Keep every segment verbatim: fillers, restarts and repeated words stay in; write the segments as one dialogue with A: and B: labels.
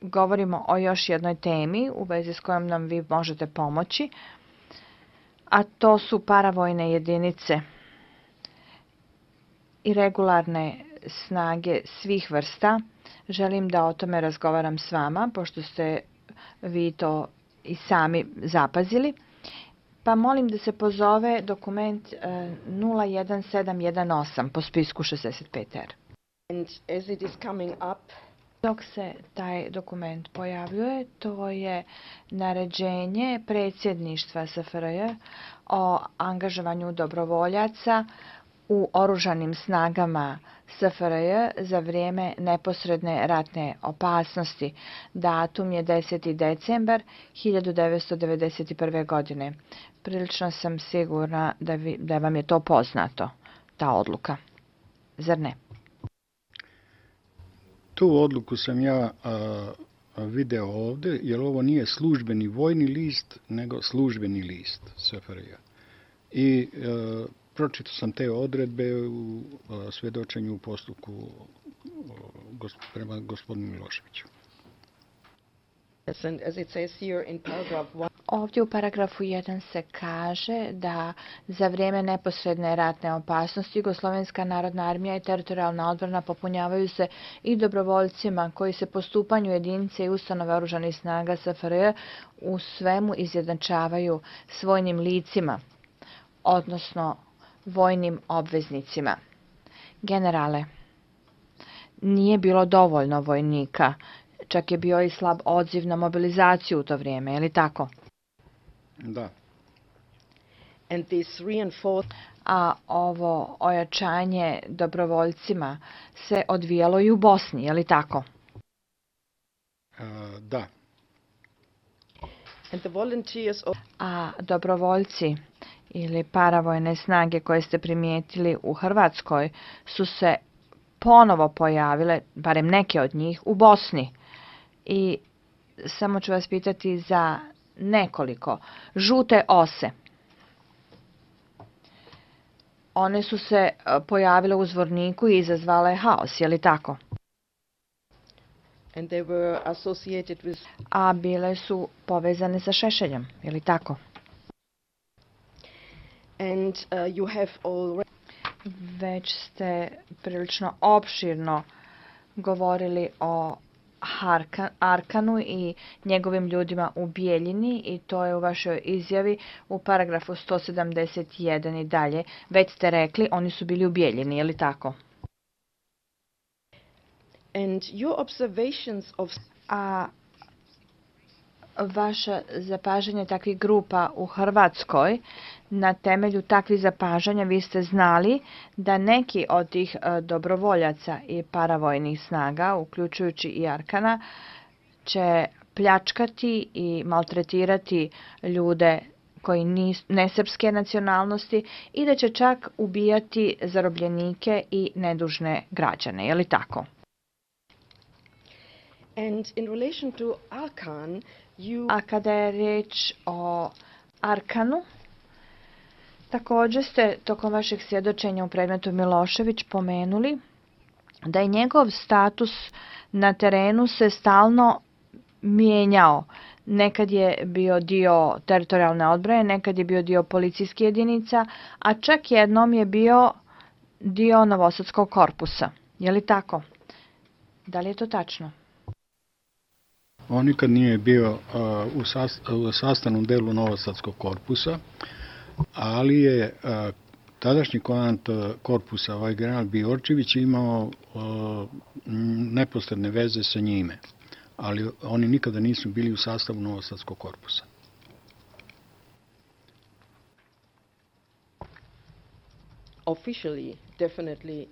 A: govorimo o još jednoj temi u vezi s kojom nam vi možete pomoći, a to su paravojne jedinice i regularne snage svih vrsta. Želim da o tome razgovaram s vama, pošto ste vi to i sami zapazili. Pa molim da se pozove dokument nula jedan sedam jedan osam po spisku šezdeset pet R.
B: And as it is coming up,
A: dok se taj dokument pojavljuje, to je naređenje predsjedništva S F R J o angažovanju dobrovoljaca u oružanim snagama S F R J za vrijeme neposredne ratne opasnosti. Datum je deseti decembar hiljadu devetsto devedeset prve. godine. Prilično sam sigurna da, vi, da vam je to poznato, ta odluka. Zar ne?
C: Tu odluku sam ja a, video ovdje, jer ovo nije službeni vojni list, nego službeni list S F R J. I a, pročitao sam te odredbe u a, svjedočenju u postupku gosp, prema gospodinu Miloševiću.
A: Ovdje u paragrafu jedan se kaže da za vrijeme neposredne ratne opasnosti Jugoslovenska narodna armija i teritorijalna odbrana popunjavaju se i dobrovoljcima koji se po stupanju jedinice i ustanove oružanih snaga S F R J u svemu izjednačavaju s vojnim licima, odnosno vojnim obveznicima. Generale, nije bilo dovoljno vojnika, čak je bio i slab odziv na mobilizaciju u to vrijeme, je li tako?
C: Da.
B: And this reinforced...
A: A ovo ojačanje dobrovoljcima se odvijalo i u Bosni, je li tako?
C: Uh, da.
B: And the volunteers of...
A: A dobrovoljci ili paravojne snage koje ste primijetili u Hrvatskoj su se ponovo pojavile, barem neke od njih, u Bosni. I samo ću vas pitati za nekoliko. Žute ose. One su se pojavile u Zvorniku i izazvale haos, je li tako?
B: And they were associated with...
A: A bile su povezane sa Šešeljem, je li tako?
B: And uh, you have already...
A: Već ste prilično opširno govorili o Arkanu i njegovim ljudima u Bijeljini i to je u vašoj izjavi u paragrafu sto sedamdeset jedan i dalje. Već ste rekli, oni su bili u Bijeljini, je li tako?
B: And your observations of...
A: A vaše zapažanje takvih grupa u Hrvatskoj, na temelju takvih zapažanja vi ste znali da neki od tih dobrovoljaca i paravojnih snaga, uključujući i Arkana, će pljačkati i maltretirati ljude koji nisu nesrpske nacionalnosti i da će čak ubijati zarobljenike i nedužne građane, je li tako?
B: And in relation to Arkan, you...
A: A kada je riječ o Arkanu, također ste tokom vašeg svjedočenja u predmetu Milošević pomenuli da je njegov status na terenu se stalno mijenjao. Nekad je bio dio teritorijalne odbrane, nekad je bio dio policijskih jedinica, a čak jednom je bio dio Novosadskog korpusa. Je li tako? Da li je to tačno?
C: On nikad nije bio uh, u, sast, u sastavnom delu Novosadskog korpusa, ali je uh, tadašnji komandant uh, korpusa, ovaj general Bijorčević, imao uh, neposredne veze sa njime, ali oni nikada nisu bili u sastavu Novosadskog korpusa.
B: Officially, definitely.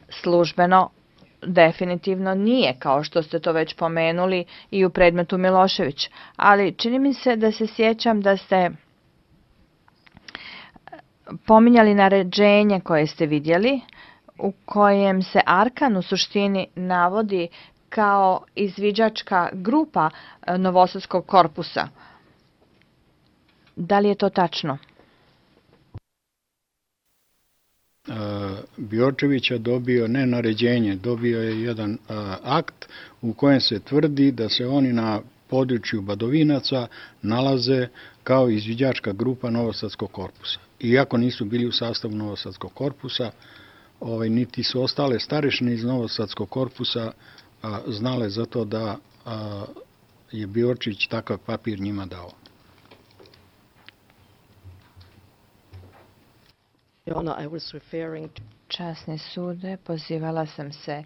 A: Službeno definitivno nije, kao što ste to već pomenuli i u predmetu Milošević. Ali čini mi se da se sjećam da ste pominjali naređenje koje ste vidjeli, u kojem se Arkan u suštini navodi kao izviđačka grupa Novosadskog korpusa. Da li je to tačno?
C: Bjorčevića dobio ne naređenje, dobio je jedan akt u kojem se tvrdi da se oni na području Badovinaca nalaze kao izviđačka grupa Novosadskog korpusa. Iako nisu bili u sastavu Novosadskog korpusa, ovaj, niti su ostale starešine iz Novosadskog korpusa a, znale za to da a, je Bjorčić takav papir njima dao.
A: Časni sude, pozivala sam se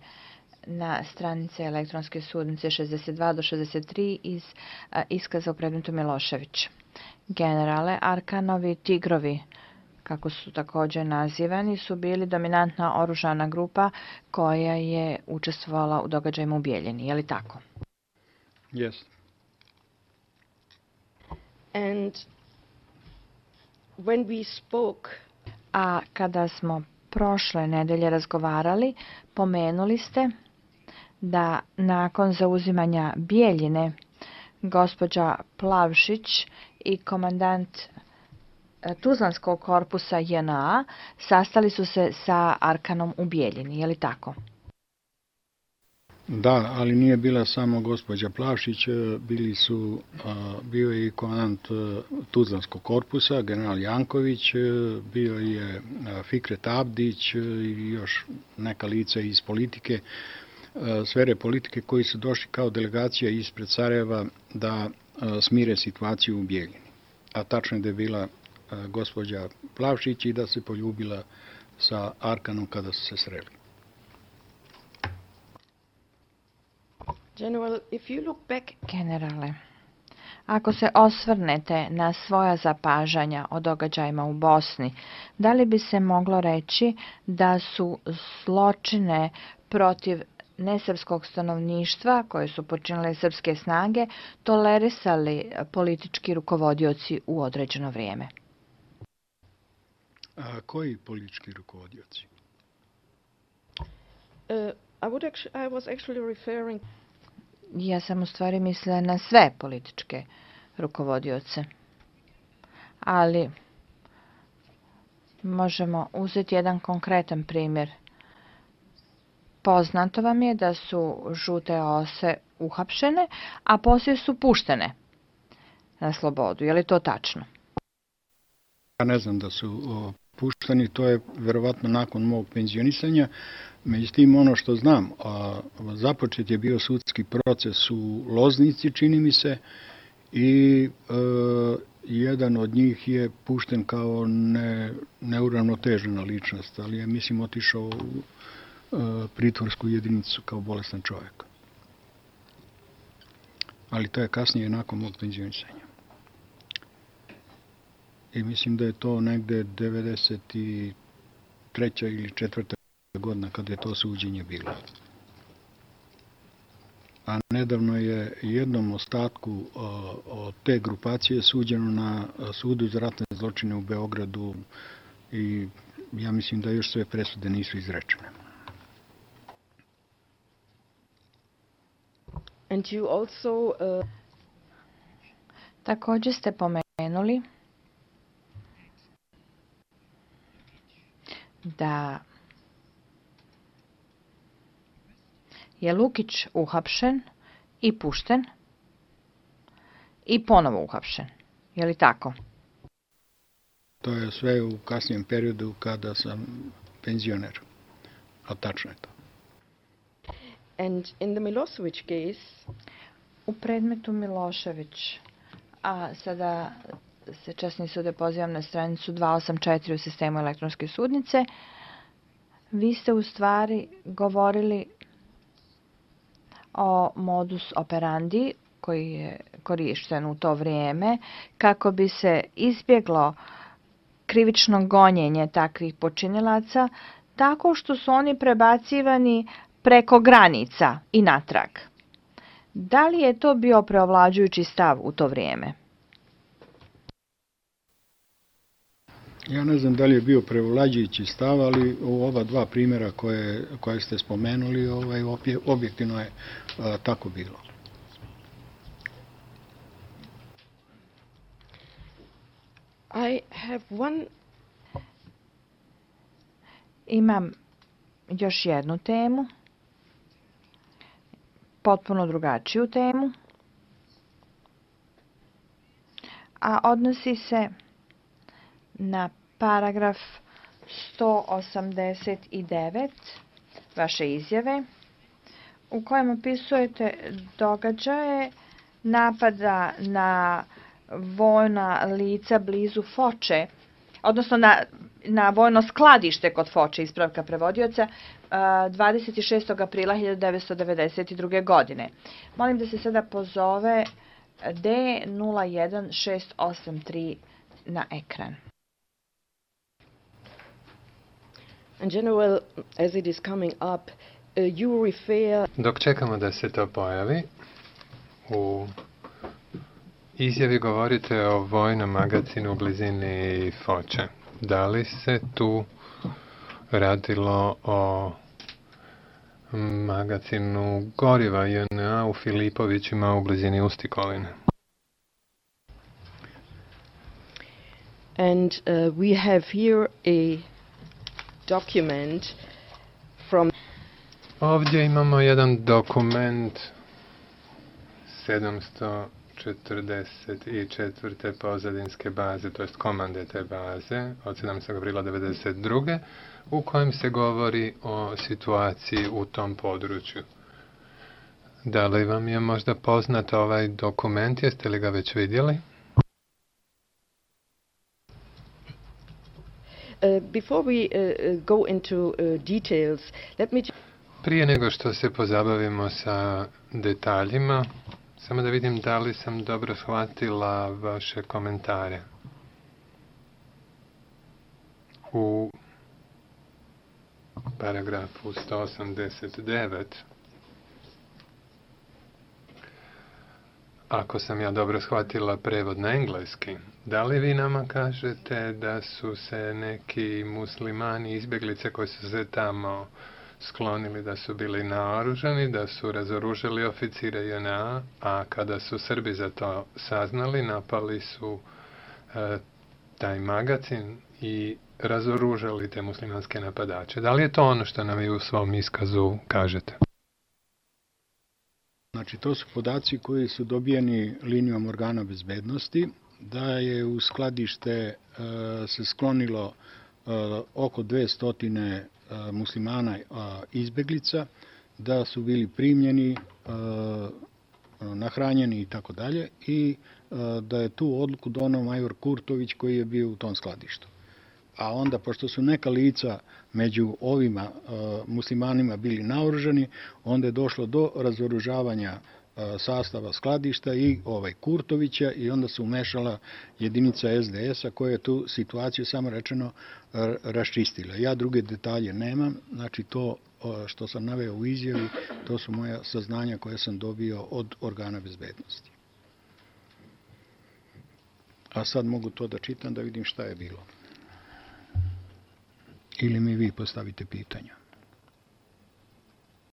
A: na stranice elektronske sudnice šezdeset dva do šezdeset tri iz a, iskaza u predmetu Milošević. Generale, Arkanovi tigrovi, kako su također nazivani, su bili dominantna oružana grupa koja je učestvovala u događajima u Bijeljini. Je li tako?
C: Yes.
B: And when we spoke,
A: a kada smo prošle nedelje razgovarali, pomenuli ste da nakon zauzimanja Bijeljine gospođa Plavšić i komandant Tuzlanskog korpusa J N A sastali su se sa Arkanom u Bijeljini. Je li tako?
C: Da, ali nije bila samo gospođa Plavšić, bili su, bio je i komandant Tuzlanskog korpusa, general Janković, bio je Fikret Abdić i još neka lica iz politike, sfere politike koji su došli kao delegacija ispred Sarajeva da smire situaciju u Bijeljini. A tačno je da je bila gospođa Plavšić i da se poljubila sa Arkanom kada su se sreli.
B: General, if you look back...
A: Generale, ako se osvrnete na svoja zapažanja o događajima u Bosni, da li bi se moglo reći da su zločine protiv nesrpskog stanovništva koje su počinile srpske snage tolerisali politički rukovodioci u određeno vrijeme?
C: A koji politički rukovodioci?
B: Uh, I, would actually, I was actually referring...
A: Ja sam u stvari mislila na sve političke rukovodioce. Ali možemo uzeti jedan konkretan primjer. Poznato vam je da su žute ose uhapšene, a poslije su puštene na slobodu. Je li to tačno?
C: Ja ne znam da su o, pušteni, to je verovatno nakon mog penzionisanja. Međutim, ono što znam, a, započet je bio sudski proces u Loznici, čini mi se, i e, jedan od njih je pušten kao ne, neuravnotežena ličnost, ali je, mislim, otišao u e, pritvorsku jedinicu kao bolestan čovjek. Ali to je kasnije nakon mog penzionisanja. I mislim da je to negde devedeset treća ili četvrta godina kada je to suđenje bilo. A nedavno je jednom ostatku od te grupacije suđeno na sudu za ratne zločine u Beogradu i ja mislim da još sve presude nisu izrečene.
B: And you also, uh...
A: Također ste pomenuli da je Lukić uhapšen i pušten i ponovo uhapšen. Je li tako?
C: To je sve u kasnijem periodu kada sam penzioner. A tačno je to.
B: And in the Milosevic case,
A: u predmetu Milošević, a sada se časni sude pozivam na stranicu dvesta osamdeset četiri u sistemu elektronske sudnice, vi ste u stvari govorili o modus operandi koji je korišten u to vrijeme kako bi se izbjeglo krivično gonjenje takvih počinilaca tako što su oni prebacivani preko granica i natrag. Da li je to bio preovlađujući stav u to vrijeme?
C: Ja ne znam da li je bio prevlađujući stav, ali u ova dva primjera koje, koje ste spomenuli, ovaj, objektivno je a, tako bilo.
B: I have one...
A: Imam još jednu temu, potpuno drugačiju temu, a odnosi se na paragraf sto osamdeset devet vaše izjave, u kojem opisujete događaje napada na vojna lica blizu Foče, odnosno na, na vojno skladište kod Foče, ispravka prevodioca, dvadeset šestog aprila hiljadu devetsto devedeset druge. godine. Molim da se sada pozove D nula jedan šest osam tri na ekran.
B: In general, as it is coming up, uh, you refer...
D: Dok čekamo da se to pojavi, u izjavi govorite o vojnom magazinu u blizini Foče. Da li se tu radilo o magazinu goriva J N A u Filipovićima u blizini Ustikoline?
B: And uh, we have here a document from...
D: Ovdje imamo jedan dokument sedamsto četrdeset četvrte pozadinske baze, to jest komande te baze, od sedamnaestog aprila devedeset druge. u kojem se govori o situaciji u tom području. Da li vam je možda poznat ovaj dokument, jeste li ga već vidjeli?
B: Uh, before we uh, go into uh, details, let me...
D: Prije nego što se pozabavimo sa detaljima, samo da vidim da li sam dobro shvatila vaše komentare. U paragrafu sto osamdeset devet, ako sam ja dobro shvatila prevod na engleski, da li vi nama kažete da su se neki muslimani, izbjeglice koji su se tamo sklonili, da su bili naoružani, da su razoružali oficire J N A, a kada su Srbi za to saznali, napali su e, taj magazin i razoružali te muslimanske napadače. Da li je to ono što nam vi u svom iskazu kažete?
C: Znači, to su podaci koji su dobijeni linijom organa bezbednosti, da je u skladište e, se sklonilo e, oko dvesta e, muslimana e, izbeglica, da su bili primljeni, e, nahranjeni i tako dalje, i e, da je tu odluku donao major Kurtović koji je bio u tom skladištu. A onda, pošto su neka lica među ovima e, muslimanima bili naoružani, onda je došlo do razoružavanja e, sastava skladišta i ovaj Kurtovića, i onda se umešala jedinica S D S-a koja je tu situaciju, samo rečeno, e, raščistila. Ja druge detalje nemam, znači to e, što sam naveo u izjavi, to su moja saznanja koje sam dobio od organa bezbednosti. A sad mogu to da čitam da vidim šta je bilo. Ili mi vi postavite pitanja.